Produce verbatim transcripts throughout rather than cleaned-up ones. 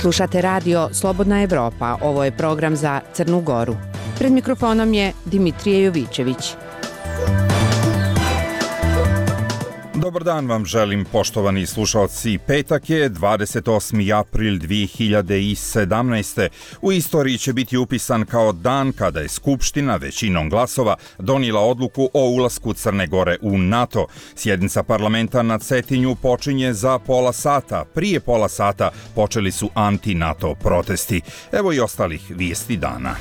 Slušate radio Slobodna Evropa, ovo je program za Crnu Goru. Pred mikrofonom je Dimitrije Jovićević. Dobar dan vam želim, poštovani slušalci. Petak je dvadeset osmi april dve hiljade sedamnaeste. U istoriji će biti upisan kao dan kada je Skupština većinom glasova donijela odluku o ulasku Crne Gore u NATO. Sjednica parlamenta na Cetinju počinje za pola sata. Prije pola sata počeli su anti-NATO protesti. Evo i ostalih vijesti dana.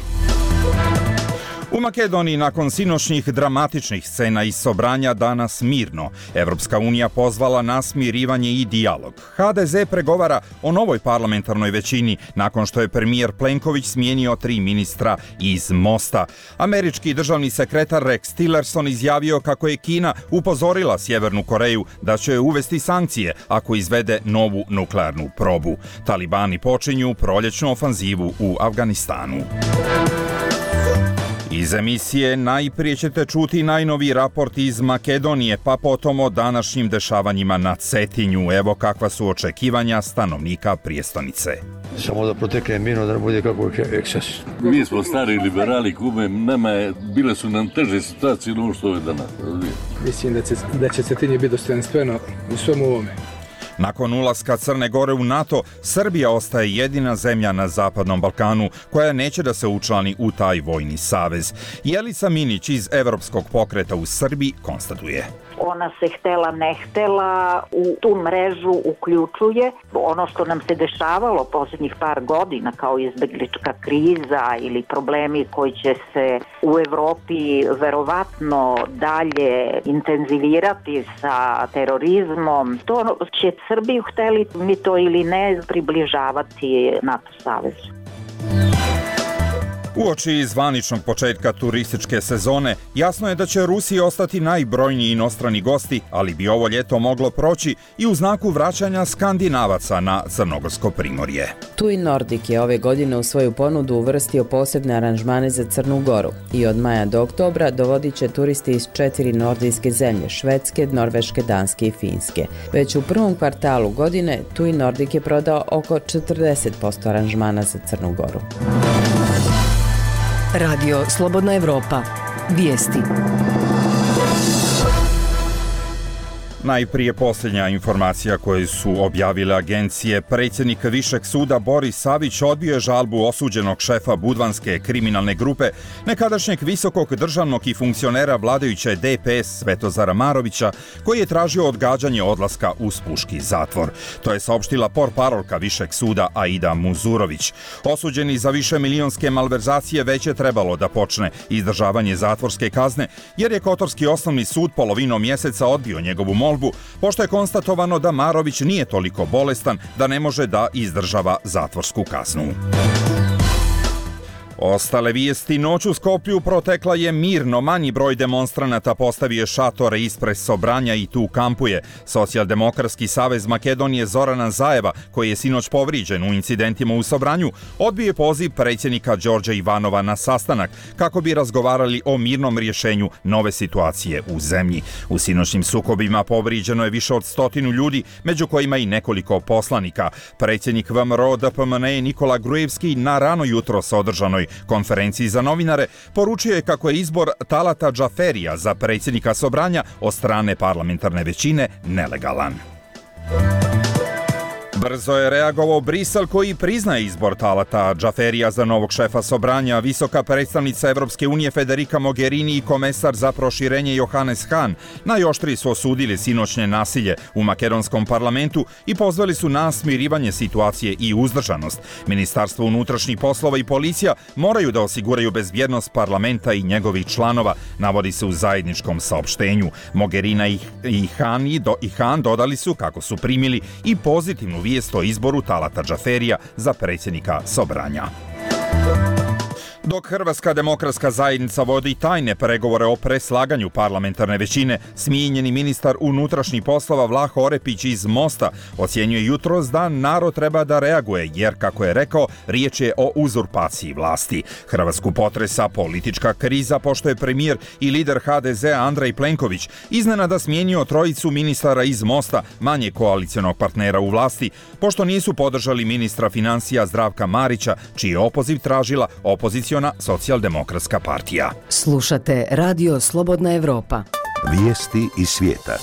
U Makedoniji nakon sinoćnih dramatičnih scena iz Sobranja danas mirno. Evropska unija pozvala na smirivanje i dijalog. ha de ze pregovara o novoj parlamentarnoj većini nakon što je premijer Plenković smijenio tri ministra iz Mosta. Američki državni sekretar Rex Tillerson izjavio kako je Kina upozorila Sjevernu Koreju da će uvesti sankcije ako izvede novu nuklearnu probu. Talibani počinju proljećnu ofanzivu u Afganistanu. Iz emisije najprije ćete čuti najnoviji raport iz Makedonije, pa potom o današnjim dešavanjima na Cetinju. Evo kakva su očekivanja stanovnika prijestonice. Samo da protekne mirno, da ne bude kako eksces. Mi smo stari liberali, kume, nama je, bile su nam teže situacije no što je danas. Mislim da će, da će Cetinje biti dostojanstveno u svemu ovome. Nakon ulaska Crne Gore u NATO, Srbija ostaje jedina zemlja na Zapadnom Balkanu koja neće da se učlani u taj vojni savez. Jelica Minić iz Evropskog pokreta u Srbiji konstatuje. Ona se htela ne htela u tu mrežu uključuje. Ono što nam se dešavalo posljednjih par godina kao izbeglička kriza ili problemi koji će se u Evropi verovatno dalje intenzivirati sa terorizmom, to će Srbiju, hteli mi to ili ne, približavati NATO savezu. Uoči zvaničnog početka turističke sezone, jasno je da će Rusiji ostati najbrojniji inostrani gosti, ali bi ovo ljeto moglo proći i u znaku vraćanja Skandinavaca na Crnogorsko primorje. TUI Nordic je ove godine u svoju ponudu uvrstio posebne aranžmane za Crnu Goru i od maja do oktobra dovodit će turisti iz četiri nordijske zemlje, Švedske, Norveške, Danske i Finske. Već u prvom kvartalu godine TUI Nordic je prodao oko četrdeset posto aranžmana za Crnu Goru. Radio Slobodna Evropa. Vijesti. Najprije posljednja informacija koju su objavile agencije. Predsjednik Višeg suda Boris Savić odbio je žalbu osuđenog šefa budvanske kriminalne grupe, nekadašnjeg visokog državnog i funkcionera vladajuće de pe es Svetozara Marovića, koji je tražio odgađanje odlaska u spuški zatvor. To je saopštila portparolka Višeg suda Aida Muzurović. Osuđeni za više milionske malverzacije već je trebalo da počne izdržavanje zatvorske kazne, jer je Kotorski osnovni sud polovinom mjeseca odbio njegovu molbu, pošto je konstatovano da Marović nije toliko bolestan da ne može da izdržava zatvorsku kaznu. Ostale vijesti. Noć u Skoplju protekla je mirno. Manji broj demonstranata postavio je šatore ispred Sobranja i tu kampuje. Socijaldemokratski savez Makedonije Zorana Zajeva, koji je sinoć povrijeđen u incidentima u Sobranju, odbio poziv predsjednika Đorđa Ivanova na sastanak kako bi razgovarali o mirnom rješenju nove situacije u zemlji. U sinoćnim sukobima povrijeđeno je više od stotinu ljudi, među kojima i nekoliko poslanika. Predsjednik ve em er o de pe em en e Nikola Grujevski na rano jutro sa održanoj konferenciji za novinare poručio je kako je izbor Talata Džaferija za predsjednika Sobranja od strane parlamentarne većine nelegalan. Brzo je reagovao Brisel koji priznaje izbor Talata Džaferija za novog šefa Sobranja. Visoka predstavnica Evropske unije Federica Mogherini i komesar za proširenje Johannes Hahn najoštrije su osudili sinoćnje nasilje u makedonskom parlamentu i pozvali su na smirivanje situacije i uzdržanost. Ministarstvo unutrašnjih poslova i policija moraju da osiguraju bezbjednost parlamenta i njegovih članova, navodi se u zajedničkom saopštenju. Mogherina i, i, Hahn, i, do, i Hahn dodali su kako su primili i pozitivnu vijest o izboru Talata Džaferija za predsjednika Sobranja. Dok Hrvatska demokratska zajednica vodi tajne pregovore o preslaganju parlamentarne većine, smijenjeni ministar unutrašnjih poslova Vlaho Orepić iz Mosta ocjenjuje jutros da narod treba da reaguje, jer, kako je rekao, riječ je o uzurpaciji vlasti. Hrvatsku potresa politička kriza, pošto je premijer i lider ha de zea Andrej Plenković iznenada smijenio trojicu ministara iz Mosta, manje koalicionog partnera u vlasti, pošto nisu podržali ministra financija Zdravka Marića, čiji je opoziv tražila opoziciona Socijaldemokratska partija. Slušate Radio Slobodna Evropa. Vijesti iz svijeta.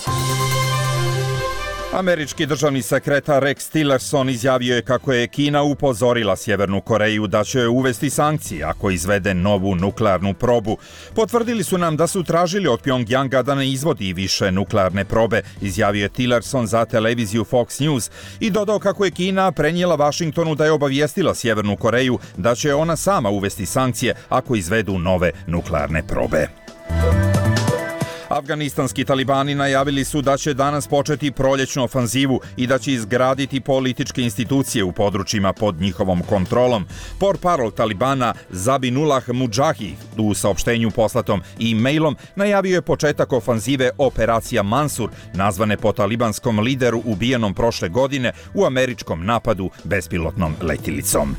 Američki državni sekretar Rex Tillerson izjavio je kako je Kina upozorila Sjevernu Koreju da će uvesti sankcije ako izvede novu nuklearnu probu. Potvrdili su nam da su tražili od Pjongjanga da ne izvodi više nuklearne probe, izjavio je Tillerson za televiziju Fox News i dodao kako je Kina prenijela Vašingtonu da je obavijestila Sjevernu Koreju da će ona sama uvesti sankcije ako izvedu nove nuklearne probe. Afganistanski talibani najavili su da će danas početi proljećnu ofanzivu i da će izgraditi političke institucije u područjima pod njihovom kontrolom. Portparol Talibana Zabihullah Mujahid u saopštenju poslatom e-mailom najavio je početak ofanzive Operacija Mansur, nazvane po talibanskom lideru ubijenom prošle godine u američkom napadu bespilotnom letjelicom.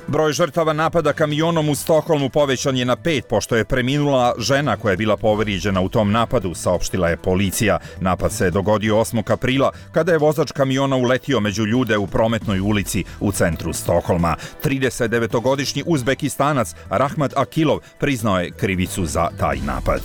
Broj žrtava napada kamionom u Stokholmu povećan je na pet, pošto je preminula žena koja je bila povrijeđena u tom napadu, saopštila je policija. Napad se dogodio osmog aprila, kada je vozač kamiona uletio među ljude u prometnoj ulici u centru Stokholma. tridesetdevetogodišnji Uzbekistanac Rahmat Akilov priznao je krivicu za taj napad.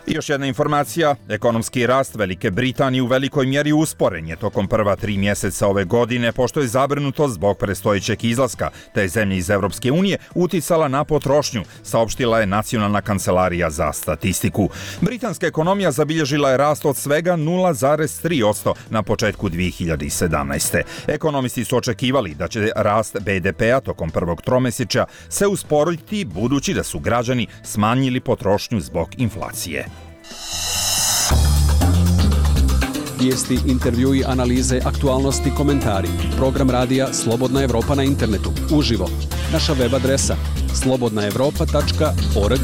I još jedna informacija, ekonomski rast Velike Britanije u velikoj mjeri usporen je tokom prva tri mjeseca ove godine, pošto je zabrinutost zbog predstojećeg izlaska te zemlje iz Europske unije uticala na potrošnju, saopštila je Nacionalna kancelarija za statistiku. Britanska ekonomija zabilježila je rast od svega nula zarez tri posto na početku dvije hiljade sedamnaeste. Ekonomisti su očekivali da će rast be de pea tokom prvog tromjesečja se usporiti, budući da su građani smanjili potrošnju zbog inflacije. Vijesti, intervjui, analize, aktualnosti, komentari. Program radija Slobodna Evropa na internetu. Uživo. Naša web adresa slobodna evropa tačka org.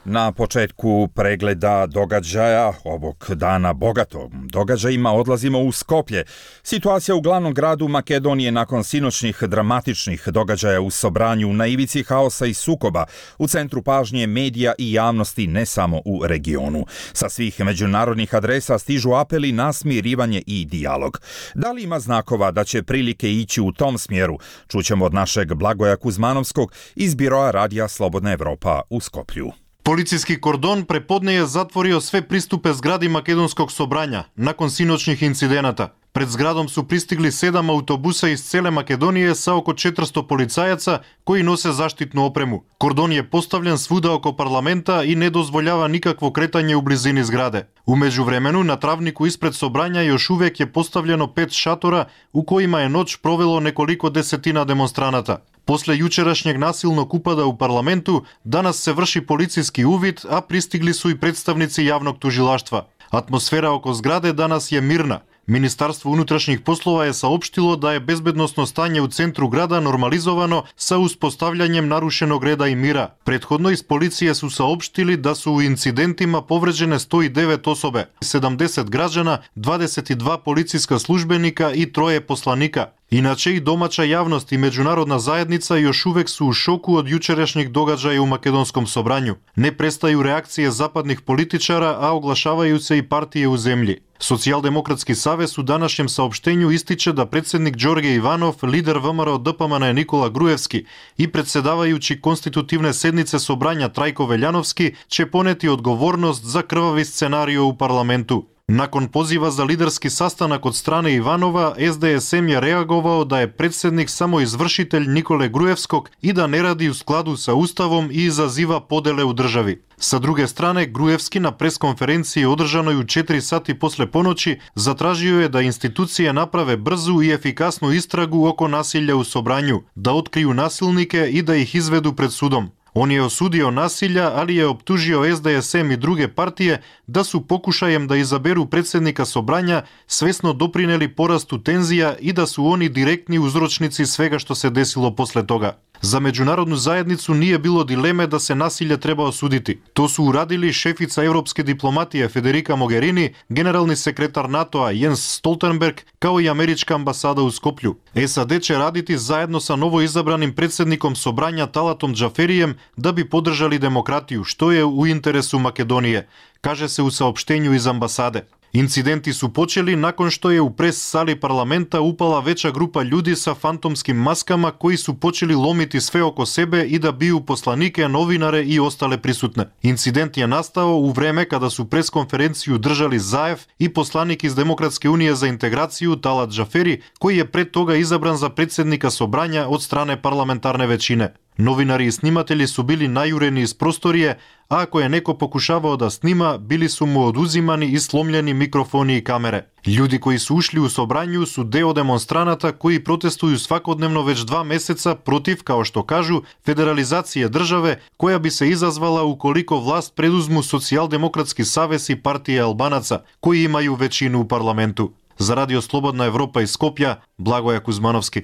Na početku pregleda događaja ovog dana bogatog događajima odlazimo u Skoplje. Situacija u glavnom gradu Makedonije nakon sinoćnih dramatičnih događaja u Sobranju na ivici haosa i sukoba, u centru pažnje medija i javnosti ne samo u regionu. Sa svih međunarodnih adresa stižu apeli na smirivanje i dijalog. Da li ima znakova da će prilike ići u tom smjeru? Čućemo od našeg Blagoja Kuzmanovskog iz biroa radija Slobodna Evropa u Skoplju. Policijski kordon prepodne je zatvorio sve pristupe zgradi Makedonskog Sobranja nakon sinoćnih incidenata. Pred zgradom su pristigli sedam autobusa iz cele Makedonije sa oko četiristo policajaca koji nose zaštitnu opremu. Kordon je postavljen svuda oko parlamenta i ne dozvoljava nikakvo kretanje u blizini zgrade. U međuvremenu na travniku ispred Sobranja još uvijek je postavljeno pet šatora u kojima je noć provelo nekoliko desetina demonstranata. Posle jučerašnjeg nasilnog upada u parlamentu, danas se vrši policijski uvid, a pristigli su i predstavnici javnog tužilaštva. Atmosfera oko zgrade danas je mirna. Ministarstvo unutrašnjih poslova je saopštilo da je bezbednosno stanje u centru grada normalizovano sa uspostavljanjem narušenog reda i mira. Prethodno iz policije su saopštili da su u incidentima povređene sto devet osobe, sedamdeset građana, dvadeset dva policijska službenika i troje poslanika. Inače i domaća javnost i međunarodna zajednica još uvek su u šoku od jučerašnjih događaja u Makedonskom Sobranju. Ne prestaju reakcije zapadnih političara, a oglašavaju se i partije u zemlji. Socijaldemokratski savez u današnjem saopštenju ističe da predsjednik Đorđe Ivanov, lider ve em er o de pe em en Nikola Grujevski i predsjedavajući konstitutivne sednice Sobranja Trajko Veljanovski će poneti odgovornost za krvavi scenario u parlamentu. Nakon poziva za liderski sastanak od strane Ivanova, es de es em je reagovao da je predsjednik samo izvršitelj Nikole Grujevskog i da ne radi u skladu sa Ustavom i izaziva podele u državi. Sa druge strane, Grujevski na preskonferenciji održanoj u četiri sati posle ponoći zatražio je da institucije naprave brzu i efikasnu istragu oko nasilja u Sobranju, da otkriju nasilnike i da ih izvedu pred sudom. On je osudio nasilja, ali je optužio S D S M i druge partije da su pokušajem da izaberu predsednika Sobranja svesno doprineli porastu tenzija i da su oni direktni uzročnici svega što se desilo posle toga. Za međunarodnu zajednicu nije bilo dileme da se nasilje treba osuditi. To su uradili šefica evropske diplomatije Federica Mogherini, generalni sekretar NATO-a Jens Stoltenberg, kao i američka ambasada u Skoplju. S A D će raditi zajedno sa novo izabranim predsednikom Sobranja Talatom Džaferijem da bi podržali demokratiju, što je u interesu Makedonije, kaže se u saopštenju iz ambasade. Incidenti su počeli nakon što je u pres sali parlamenta upala veća grupa ljudi sa fantomskim maskama koji su počeli lomiti sve oko sebe i da biju poslanike, novinare i ostale prisutne. Incident je nastao u vreme kada su preskonferenciju držali Zaev i poslanik iz Demokratske unije za integraciju Talat Džaferi, koji je pred toga izabran za predsednika Sobranja od strane parlamentarne većine. Novinari i snimatelji su bili najureni iz prostorije, a ako je neko pokušavao da snima, bili su mu oduzimani i slomljeni mikrofoni i kamere. Ljudi koji su ušli u Sobranju su deo demonstranata koji protestuju svakodnevno već dva meseca protiv, kao što kažu, federalizacije države koja bi se izazvala ukoliko vlast preduzmu Socijaldemokratski savez i partije Albanaca, koji imaju većinu u parlamentu. Za Radio Slobodna Evropa iz Skopja, Blagoja Kuzmanovski.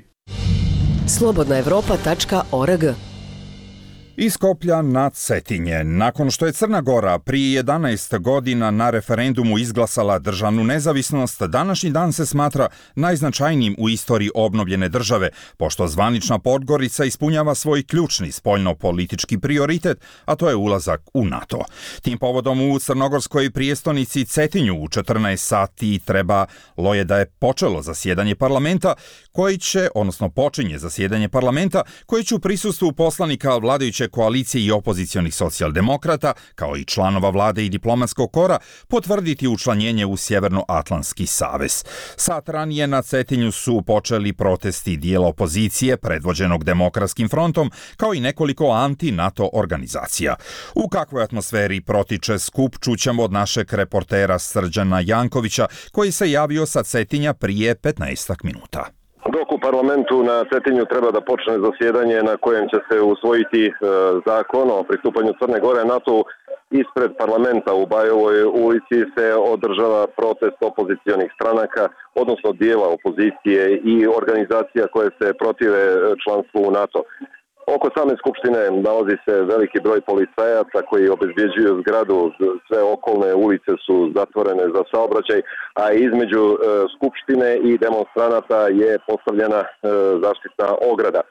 slobodna evropa tačka org. Iz Skoplja na Cetinje. Nakon što je Crna Gora prije jedanaest godina na referendumu izglasala državnu nezavisnost, današnji dan se smatra najznačajnijim u istoriji obnovljene države, pošto zvanična Podgorica ispunjava svoj ključni spoljno-politički prioritet, a to je ulazak u NATO. Tim povodom u crnogorskoj prijestolnici Cetinju u četrnaest sati trebalo je da je počelo zasjedanje parlamenta, koji će, odnosno počinje zasjedanje parlamenta, koji će u prisustvu poslanika vladajuće koalicije i opozicionih socijaldemokrata, kao i članova vlade i diplomatskog kora, potvrditi učlanjenje u Sjevernoatlantski savez. Sat ranije na Cetinju su počeli protesti dijela opozicije, predvođenog Demokratskim frontom, kao i nekoliko anti-NATO organizacija. U kakvoj atmosferi protiče skup čućemo od našeg reportera Srđana Jankovića, koji se javio sa Cetinja prije petnaestak minuta. Dok u parlamentu na Cetinju treba da počne zasjedanje na kojem će se usvojiti e, zakon o pristupanju Crne Gore NATO, ispred parlamenta u Bajovoj ulici se održava protest opozicionih stranaka, odnosno dijela opozicije i organizacija koje se protive članstvu u NATO. Oko same skupštine nalazi se veliki broj policajaca koji obezbjeđuju zgradu, sve okolne ulice su zatvorene za saobraćaj, a između e, skupštine i demonstranata je postavljena e, zaštitna ograda.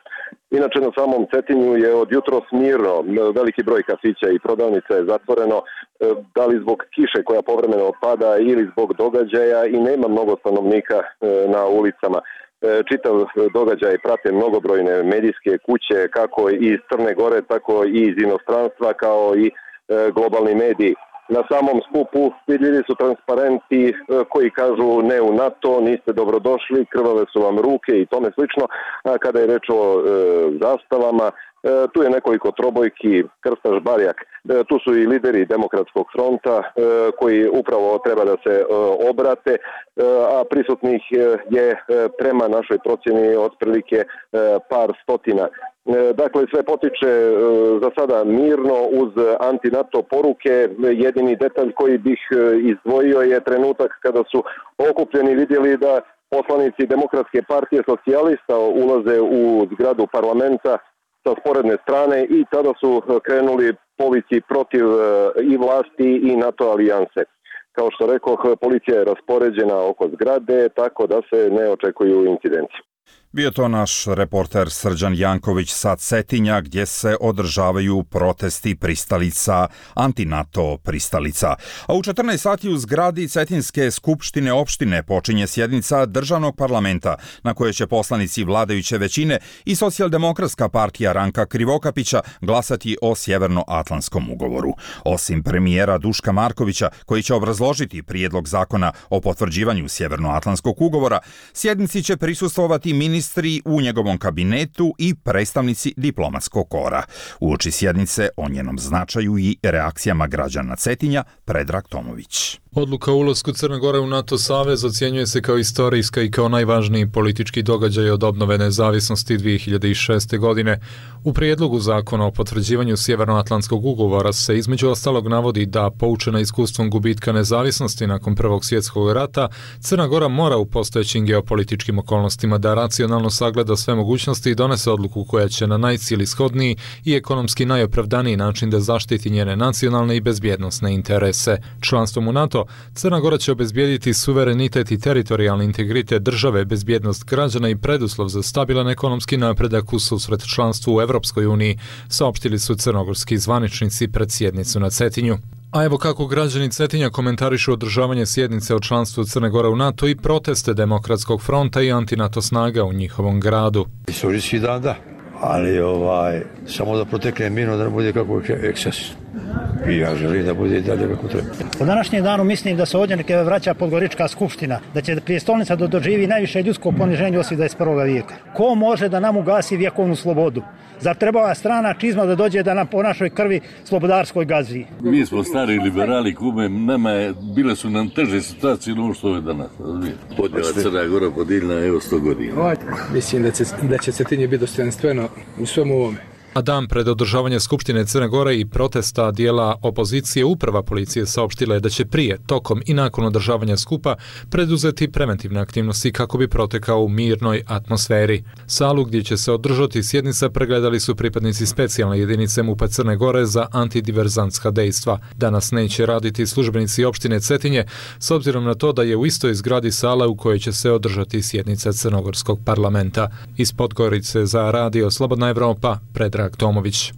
Inače, na samom Cetinju je od jutros mirno, veliki broj kafića i prodavnica je zatvoreno, e, da li zbog kiše koja povremeno pada ili zbog događaja, i nema mnogo stanovnika e, na ulicama. Čitav događaj prate mnogobrojne medijske kuće, kako iz Crne Gore, tako i iz inostranstva, kao i globalni mediji. Na samom skupu vidljivi su transparenti koji kažu ne u NATO, niste dobrodošli, krvave su vam ruke i tome slično. A kada je reč o e, zastavama, e, tu je nekoliko trobojki, Krstaš, Barjak, e, tu su i lideri Demokratskog fronta e, koji upravo treba da se e, obrate, e, a prisutnih je e, prema našoj procjeni otprilike e, par stotina. Dakle, sve potiče za sada mirno uz anti-NATO poruke. Jedini detalj koji bih izdvojio je trenutak kada su okupljeni vidjeli da poslanici Demokratske partije socijalista ulaze u zgradu parlamenta sa sporedne strane i tada su krenuli povici protiv i vlasti i NATO alijanse. Kao što rekoh, policija je raspoređena oko zgrade, tako da se ne očekuju incidenti. Bio to naš reporter Srđan Janković sa Cetinja, gdje se održavaju protesti pristalica, anti-NATO pristalica. A u četrnaest sati u zgradi Cetinske skupštine opštine počinje sjednica državnog parlamenta, na kojoj će poslanici vladajuće većine i Socijaldemokratska partija Ranka Krivokapića glasati o Sjevernoatlantskom ugovoru. Osim premijera Duška Markovića, koji će obrazložiti prijedlog zakona o potvrđivanju Sjevernoatlantskog ugovora, sjednici će prisustvovati ministar ministri u njegovom kabinetu i predstavnici diplomatskog kora. Uoči sjednice o njenom značaju i reakcijama građana Cetinja, Predrag Tomović. Odluka o ulasku Crne Gore u NATO savez ocjenjuje se kao istorijska i kao najvažniji politički događaj od obnove nezavisnosti dvije hiljade šeste. godine. U prijedlogu zakona o potvrđivanju Sjevernoatlantskog ugovora se između ostalog navodi da, poučena iskustvom gubitka nezavisnosti nakon Prvog svjetskog rata, Crna Gora mora u postojećim geopolitičkim okolnostima da racionalno sagleda sve mogućnosti i donese odluku koja će na najcijelishodniji i ekonomski najopravdaniji način da zaštiti njene nacionalne i bezbjednosne interese. Članstvom u NATO Crna Gora će obezbijediti suverenitet i teritorijalni integritet države, bezbjednost građana i preduslov za stabilan ekonomski napredak u susret članstvu u Evropskoj uniji, saopštili su crnogorski zvaničnici pred sjednicu na Cetinju. A evo kako građani Cetinja komentarišu održavanje sjednice o članstvu Crne Gore u NATO i proteste Demokratskog fronta i antinato snaga u njihovom gradu. Istorijski dan, da, ali ovaj, samo da protekne mirno, da ne bude kako eksces. I ja želim da bude i dalje kako treba. U današnjem danu mislim da se ovdje neke vraća Podgorička skupština, da će prijestolnica da doživi najviše ljudsko poniženje osim dvadeset prvog vijeka. Ko može da nam ugasi vjekovnu slobodu? Zar treba strana čizma da dođe da nam po našoj krvi slobodarskoj gazi? Mi smo stari liberali, kume, nama je, bile su nam teže situacije no što je danas. Podjela Crna Gora podijeljena evo sto godina. Mislim da će, da će Cetinje biti dostojanstveno u svemu ovome. A dan pred održavanje Skupštine Crne Gore i protesta dijela opozicije, uprava policije saopštila je da će prije, tokom i nakon održavanja skupa preduzeti preventivne aktivnosti kako bi protekao u mirnoj atmosferi. Salu gdje će se održati sjednica pregledali su pripadnici specijalne jedinice MUP-a Crne Gore za antidiverzantska dejstva. Danas neće raditi službenici opštine Cetinje, s obzirom na to da je u istoj zgradi sala u kojoj će se održati sjednica Crnogorskog parlamenta. Iz Podgorice za Radio Slobodna Evropa, Predrag Tomović.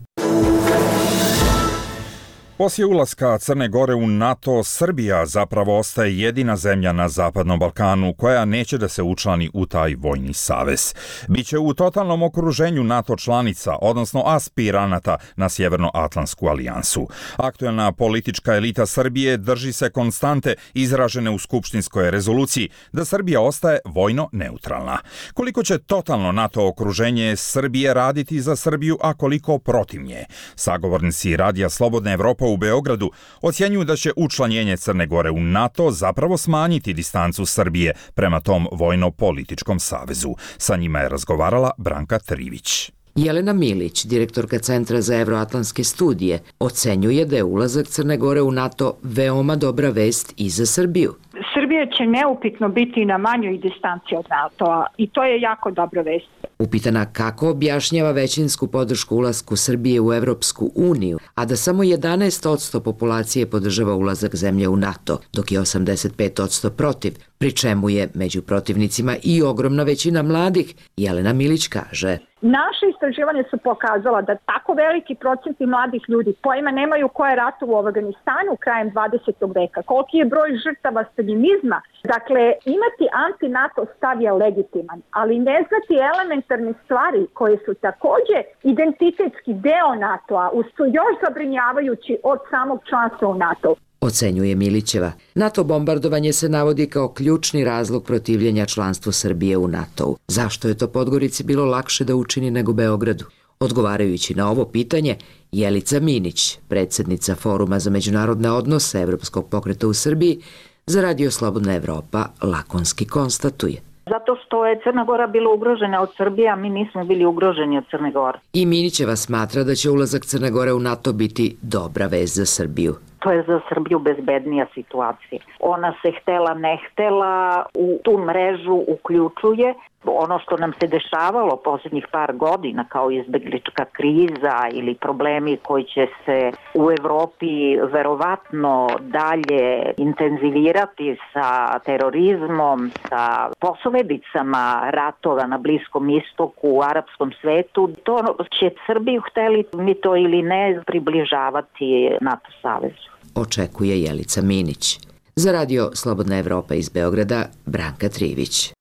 Poslije ulaska Crne Gore u NATO, Srbija zapravo ostaje jedina zemlja na Zapadnom Balkanu koja neće da se učlani u taj vojni savez. Biće u totalnom okruženju NATO članica, odnosno aspiranata na Sjevernoatlantsku alijansu. Aktuelna politička elita Srbije drži se konstante izražene u skupštinskoj rezoluciji da Srbija ostaje vojno neutralna. Koliko će totalno NATO okruženje Srbije raditi za Srbiju, a koliko protiv nje? Sagovornici Radija Slobodna Evropa u Beogradu ocjenjuju da će učlanjenje Crne Gore u NATO zapravo smanjiti distancu Srbije prema tom vojno-političkom savezu. Sa njima je razgovarala Branka Trivić. Jelena Milić, direktorka Centra za evroatlantske studije, ocenjuje da je ulazak Crne Gore u NATO veoma dobra vest i za Srbiju. Srbija će neupitno biti na manjoj distanci od NATO-a i to je jako dobra vest. Upitana kako objašnjava većinsku podršku ulasku Srbije u Evropsku uniju, a da samo jedanaest posto populacije podržava ulazak zemlje u NATO, dok je osamdeset pet posto protiv, pri čemu je među protivnicima i ogromna većina mladih, Jelena Milić kaže. Naše istraživanje su pokazala da tako veliki procenti mladih ljudi pojma nemaju ko je ratovo u Afganistanu krajem dvadesetog veka, koliki je broj žrtava staljinizma. Dakle, imati anti-NATO stav je legitiman, ali ne znati elementarne stvari koje su također identitetski deo NATO-a, su još zabrinjavajući od samog članstva u NATO. Ocenjuje Milićeva. NATO bombardovanje se navodi kao ključni razlog protivljenja članstvu Srbije u NATO-u. Zašto je to Podgorici bilo lakše da učini nego Beogradu? Odgovarajući na ovo pitanje, Jelica Minić, predsjednica Foruma za međunarodne odnose Evropskog pokreta u Srbiji, za Radio Slobodna Evropa lakonski konstatuje. Zato što je Crna Gora bila ugrožena od Srbije, a mi nismo bili ugroženi od Crne Gore. I Minićeva smatra da će ulazak Crne Gore u NATO biti dobra vest za Srbiju. To je za Srbiju bezbednija situacija. Ona se htela ne htela u tu mrežu uključuje. Ono što nam se dešavalo posljednjih par godina kao izbeglička kriza ili problemi koji će se u Evropi verovatno dalje intenzivirati sa terorizmom, sa posledicama ratova na Bliskom istoku, u arapskom svetu, to će Srbiju, hteli mi to ili ne, približavati NATO savezu. Očekuje Jelica Minić. Za Radio Slobodna Evropa iz Beograda, Branka Trivić.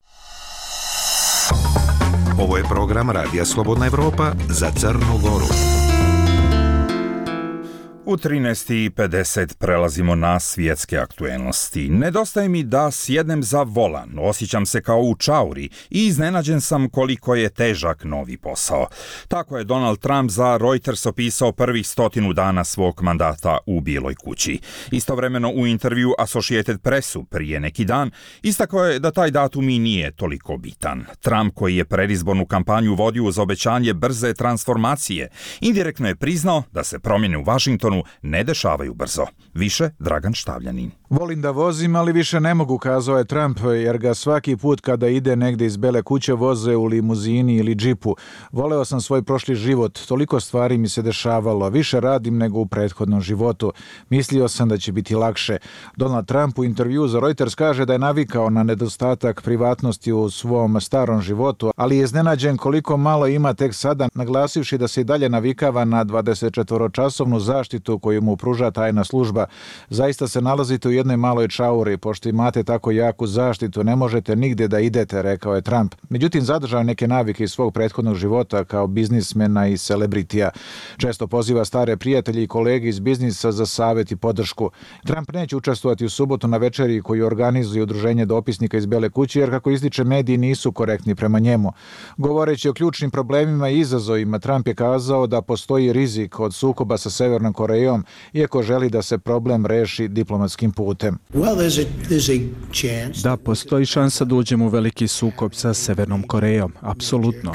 Ovo je program Radija Slobodna Evropa za Crnu Goru. U trinaest i pedeset prelazimo na svjetske aktuelnosti. Nedostaje mi da sjednem za volan, osjećam se kao u čauri i iznenađen sam koliko je težak novi posao. Tako je Donald Trump za Reuters opisao prvih stotinu dana svog mandata u Bijeloj kući. Istovremeno u intervju Associated Pressu prije neki dan istakao je da taj datum i nije toliko bitan. Trump, koji je predizbornu kampanju vodio uz obećanje brze transformacije, indirektno je priznao da se promjene u Washingtonu ne dešavaju brzo. Više Dragan Štavljanin. Volim da vozim, ali više ne mogu, kazao je Trump, jer ga svaki put kada ide negdje iz Bele kuće voze u limuzini ili džipu. Voleo sam svoj prošli život, toliko stvari mi se dešavalo, više radim nego u prethodnom životu. Mislio sam da će biti lakše. Donald Trump u intervju za Reuters kaže da je navikao na nedostatak privatnosti u svom starom životu, ali je iznenađen koliko malo ima tek sada, naglasivši da se i dalje navikava na dvadesetčetvoročasovnu zaštitu koju mu pruža tajna služba. Zaista se nalazite u jednoj maloj čauri, pošto imate tako jaku zaštitu, ne možete nigdje da idete, rekao je Trump. Međutim, zadržao neke navike iz svog prethodnog života kao biznismena i celebritija. Često poziva stare prijatelje i kolege iz biznisa za savjet i podršku. Trump neće učestvovati u subotu na večeri koju organizuje udruženje dopisnika iz Bele kuće, jer kako ističe, mediji nisu korektni prema njemu. Govoreći o ključnim problemima i izazovima, Trump je kazao da postoji rizik od sukoba sa Severnom Korejom, iako želi da se problem reši diplomatskim putem. Da, postoji šansa da uđemo u veliki sukob sa Severnom Korejom. Apsolutno.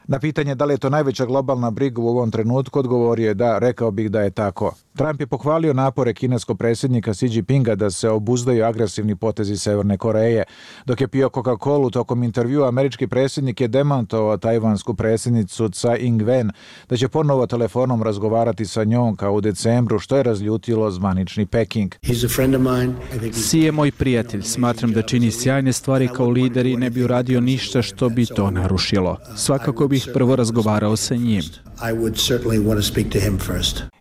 Na pitanje da li je to najveća globalna briga u ovom trenutku, odgovorio je da, rekao bih da je tako. Trump je pohvalio napore kineskog predsjednika Xi Jinpinga da se obuzdaju agresivni potezi Severne Koreje. Dok je pio Coca-Colu tokom intervjua, američki predsjednik je demantovao tajvansku predsjednicu Tsai Ing-wen da će ponovo telefonom razgovarati sa njom kao u decembru, što je razljutilo zvanični Peking. Xi je moj prijatelj. Smatram da čini sjajne stvari kao lider i ne bi uradio ništa što bi to narušilo. Svakako bih prvo razgovarao sa njim.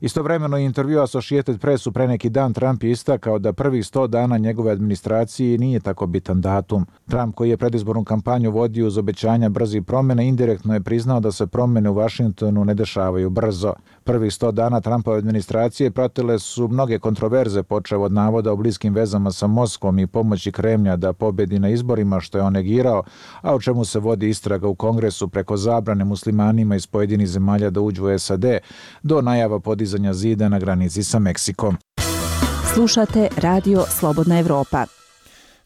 Istovremeno intervju Associated Pressu pre neki dan Trump je istakao da prvih sto dana njegove administracije nije tako bitan datum. Trump, koji je predizbornu kampanju vodio uz obećanja brzih promjena, indirektno je priznao da se promjene u Washingtonu ne dešavaju brzo. Prvih sto dana Trumpove administracije pratile su mnoge kontroverze, počev od navoda o bliskim vezama sa Moskvom i pomoći Kremlja da pobedi na izborima, što je on negirao, a o čemu se vodi istraga u Kongresu, preko zabrane muslimanima iz pojedinih zemalja da uđu u S A D, do najava podizanja zida na granici sa Meksikom. Slušate Radio Slobodna Evropa.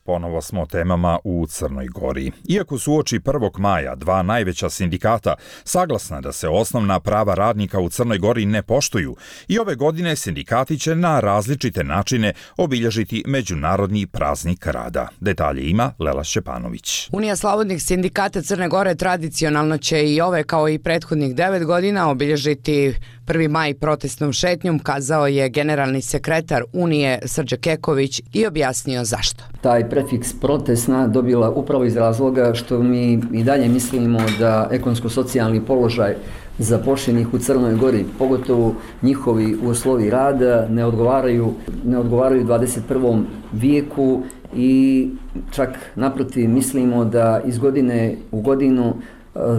Ponovo smo temama u Crnoj Gori. Iako su uoči prvog maja dva najveća sindikata saglasna da se osnovna prava radnika u Crnoj Gori ne poštuju, i ove godine sindikati će na različite načine obilježiti Međunarodni praznik rada. Detalje ima Lela Šćepanović. Unija slobodnih sindikata Crne Gore tradicionalno će i ove kao i prethodnih devet godina obilježiti prvi maj protestnom šetnjom, kazao je generalni sekretar Unije Srđe Keković i objasnio zašto. Taj prefiks protestna dobila upravo iz razloga što mi i dalje mislimo da ekonomsko-socijalni položaj zaposlenih u Crnoj Gori, pogotovo njihovi uslovi rada, ne odgovaraju, ne odgovaraju dvadeset prvom vijeku i čak naprotiv mislimo da iz godine u godinu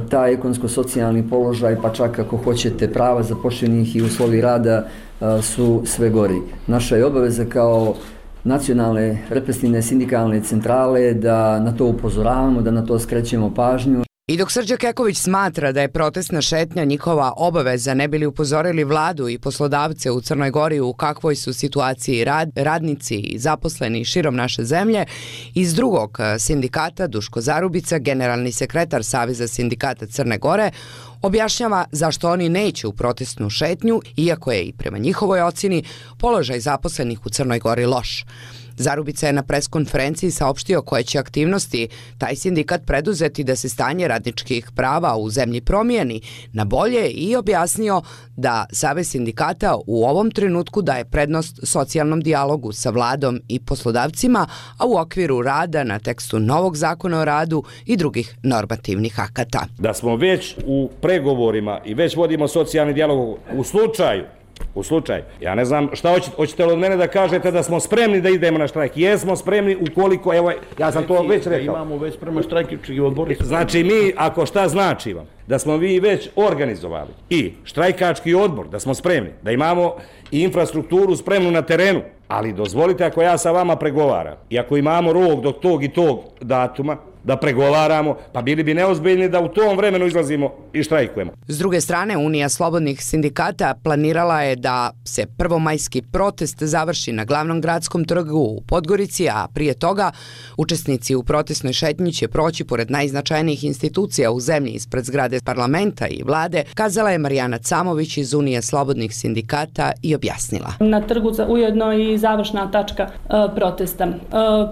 taj ekonomsko-socijalni položaj, pa čak ako hoćete prava zaposlenih i uslovi rada su sve gori. Naša je obaveza kao nacionalne represivne sindikalne centrale da na to upozoravamo, da na to skrećemo pažnju. I dok Srđe Keković smatra da je protestna šetnja njihova obaveza, ne bi li upozorili vladu i poslodavce u Crnoj Gori u kakvoj su situaciji rad, radnici i zaposleni širom naše zemlje, iz drugog sindikata Duško Zarubica, generalni sekretar Saveza sindikata Crne Gore, objašnjava zašto oni neće u protestnu šetnju, iako je i prema njihovoj ocjeni položaj zaposlenih u Crnoj Gori loš. Zarubica je na preskonferenciji saopštio koje će aktivnosti taj sindikat preduzeti da se stanje radničkih prava u zemlji promijeni na bolje i objasnio da Savez sindikata u ovom trenutku daje prednost socijalnom dijalogu sa vladom i poslodavcima, a u okviru rada na tekstu novog zakona o radu i drugih normativnih akata. Da smo već u pregovorima i već vodimo socijalni dijalog u slučaju U slučaju, ja ne znam šta hoćete, hoćete li od mene da kažete da smo spremni da idemo na štrajk? Jesmo spremni ukoliko, evo, ja sam to već rekao. Imamo već spremno štrajkički odbor. Znači mi, ako šta znači vam, da smo vi već organizovali i štrajkački odbor, da smo spremni, da imamo i infrastrukturu spremnu na terenu, ali dozvolite ako ja sa vama pregovaram i ako imamo rok do tog i tog datuma, da pregovaramo, pa bili bi neozbiljni da u tom vremenu izlazimo i štrajkujemo. S druge strane, Unija slobodnih sindikata planirala je da se prvomajski protest završi na glavnom gradskom trgu u Podgorici, a prije toga učesnici u protestnoj šetnji će proći pored najznačajnijih institucija u zemlji ispred zgrade parlamenta i vlade, kazala je Marijana Camović iz Unije slobodnih sindikata i objasnila. Na trgu ujedno i završna tačka e, protesta. E,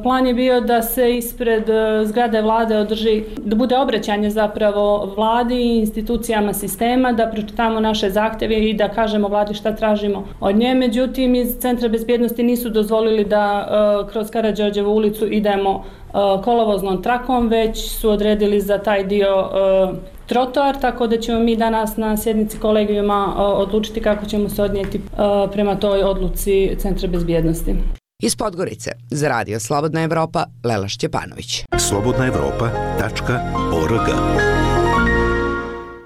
plan je bio da se ispred e, zgrade vlade održi, da bude obraćanje zapravo vladi i institucijama sistema, da pročitamo naše zahtjeve i da kažemo vladi šta tražimo od nje. Međutim, iz Centra bezbjednosti nisu dozvolili da uh, kroz Karađorđevu ulicu idemo uh, kolovoznom trakom, već su odredili za taj dio uh, trotoar, tako da ćemo mi danas na sjednici kolegijuma uh, odlučiti kako ćemo se odnijeti uh, prema toj odluci Centra bezbjednosti. Iz Podgorice, za Radio Slobodna Evropa, Lela Šćepanović. slobodna evropa tačka org.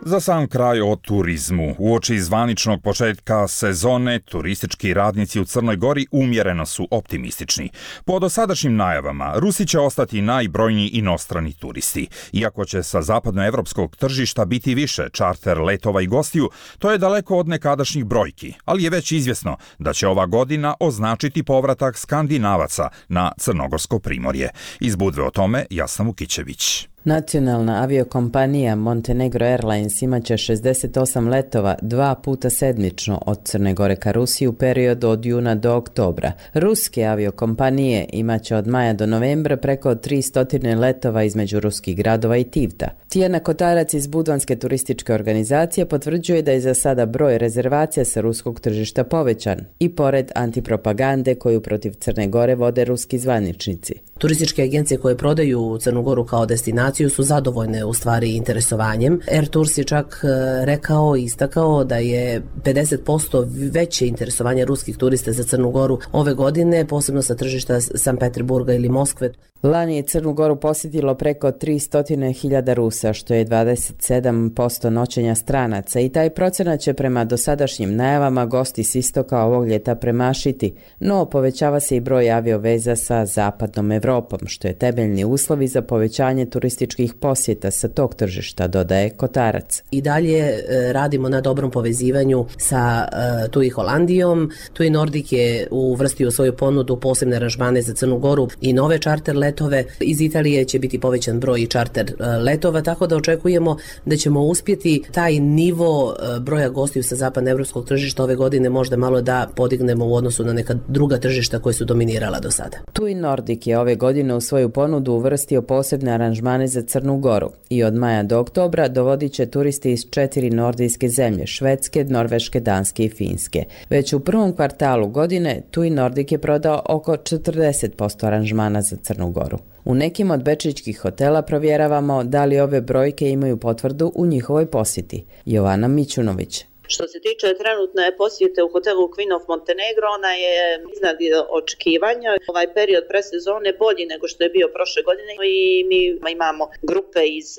Za sam kraj o turizmu. Uoči zvaničnog početka sezone, turistički radnici u Crnoj Gori umjereno su optimistični. Po dosadašnjim najavama, Rusi će ostati najbrojniji inostrani turisti. Iako će sa zapadnoevropskog tržišta biti više čarter letova i gostiju, to je daleko od nekadašnjih brojki, ali je već izvjesno da će ova godina označiti povratak Skandinavaca na crnogorsko primorje. Iz Budve o tome Jasna Vukićević. Nacionalna aviokompanija Montenegro Airlines imaće šezdeset osam letova dva puta sedmično od Crne Gore ka Rusiji u periodu od juna do oktobra. Ruske aviokompanije imaće od maja do novembra preko tristo letova između ruskih gradova i Tivta. Tijana Kotarac iz Budvanske turističke organizacije potvrđuje da je za sada broj rezervacija sa ruskog tržišta povećan i pored antipropagande koju protiv Crne Gore vode ruski zvaničnici. Turističke agencije koje prodaju Crnu Goru kao destinaciju su zadovoljne u stvari interesovanjem. Air Tours je čak rekao i istakao da je pedeset posto veće interesovanje ruskih turista za Crnu Goru ove godine, posebno sa tržišta San Peterburga ili Moskve. Lani je Crnu Goru posjetilo preko tristo hiljada Rusa, što je dvadeset sedam posto noćenja stranaca i taj procenat će prema dosadašnjim najavama gosti s istoka ovog ljeta premašiti, no povećava se i broj avioveza sa zapadnom Evropom, što je temeljni uslovi za povećanje turističkih posjeta sa tog tržišta, dodaje Kotarac. I dalje e, radimo na dobrom povezivanju sa e, tu i Holandijom. Tu i Nordik je uvrstio u svoju ponudu posebne aranžmane za Crnu Goru i nove čarter letove. Iz Italije će biti povećan broj čarter letova, tako da očekujemo da ćemo uspjeti taj nivo broja gostiju sa zapadnoevropskog tržišta ove godine možda malo da podignemo u odnosu na neka druga tržišta koje su dominirala do sada. Tu i Nordik je ove godine u svoju ponudu uvrstio posebne aranžmane za Crnu Goru i od maja do oktobra dovodit će turisti iz četiri nordijske zemlje, Švedske, Norveške, Danske i Finske. Već u prvom kvartalu godine tu i Nordik je prodao oko četrdeset posto aranžmana za Crnu Goru. U nekim od bečićkih hotela provjeravamo da li ove brojke imaju potvrdu u njihovoj posjeti. Jovana Mićunović. Što se tiče trenutne posjete u hotelu Queen of Montenegro, ona je iznad očekivanja. Ovaj period presezone bolji nego što je bio prošle godine i mi imamo grupe iz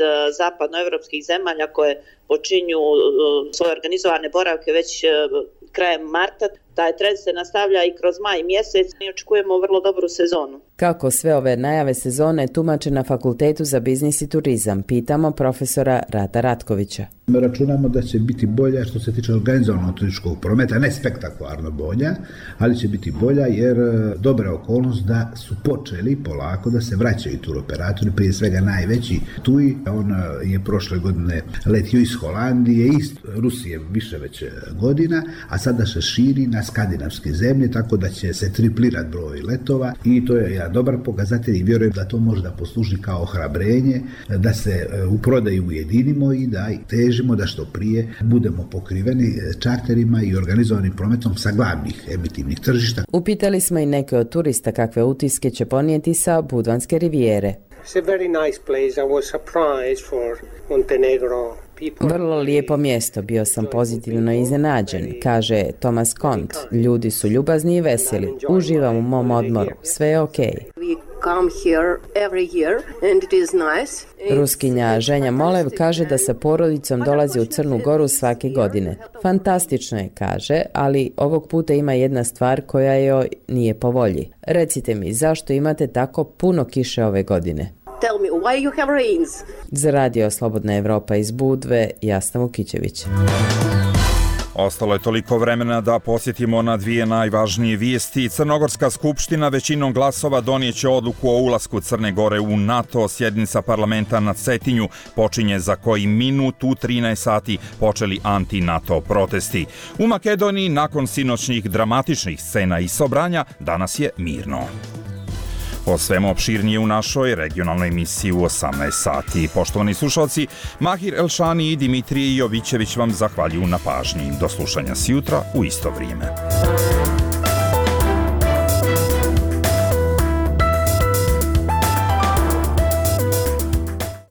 zapadnoevropskih zemalja koje počinju svoje organizovane boravke već krajem marta. Taj trend se nastavlja i kroz maj mjesec i očekujemo vrlo dobru sezonu. Kako sve ove najave sezone tumače na Fakultetu za biznis i turizam, pitamo profesora Rata Ratkovića. Računamo da će biti bolja što se tiče organizovanog turističkog prometa, ne spektakularno bolja, ali će biti bolja jer dobra okolnost da su počeli polako da se vraćaju turoperatori, prije svega najveći tu i on je prošle godine letio iz Holandije, iz Rusije više već godina, a sada se širi na skandinavske zemlje, tako da će se triplirati broj letova i to je jedan dobar pokazatelj i vjerujem da to može da posluži kao ohrabrenje, da se u prodaju ujedinimo i da težimo da što prije budemo pokriveni čarterima i organizovanim prometom sa glavnih emitivnih tržišta. Upitali smo i neke od turista kakve utiske će ponijeti sa Budvanske rivijere. It's a very nice place. I was surprised for Montenegro Vrlo lijepo mjesto, bio sam pozitivno iznenađen, kaže Thomas Kont. Ljudi su ljubazni i veseli, uživam u mom odmoru, sve je okej. Ruskinja Ženja Molev kaže da sa porodicom dolazi u Crnu Goru svake godine. Fantastično je, kaže, ali ovog puta ima jedna stvar koja joj nije po volji. Recite mi, zašto imate tako puno kiše ove godine? Tell me why you have rains. Za radio Slobodna Evropa iz Budve, Jasna Vukićević. Ostalo je toliko vremena da podsjetimo na dvije najvažnije vijesti. Crnogorska skupština većinom glasova donijeće odluku o ulasku Crne Gore u NATO. Sjednica parlamenta na Cetinju počinje za koji minut. U trinaest sati počeli anti-NATO protesti. U Makedoniji nakon sinoćnih dramatičnih scena i sobranja danas je mirno. O svemu opširnije u našoj regionalnoj emisiji u osamnaest sati. Poštovani slušalci, Mahir Elšani i Dimitrije Jovićević vam zahvaljuju na pažnji. Do slušanja sjutra u isto vrijeme.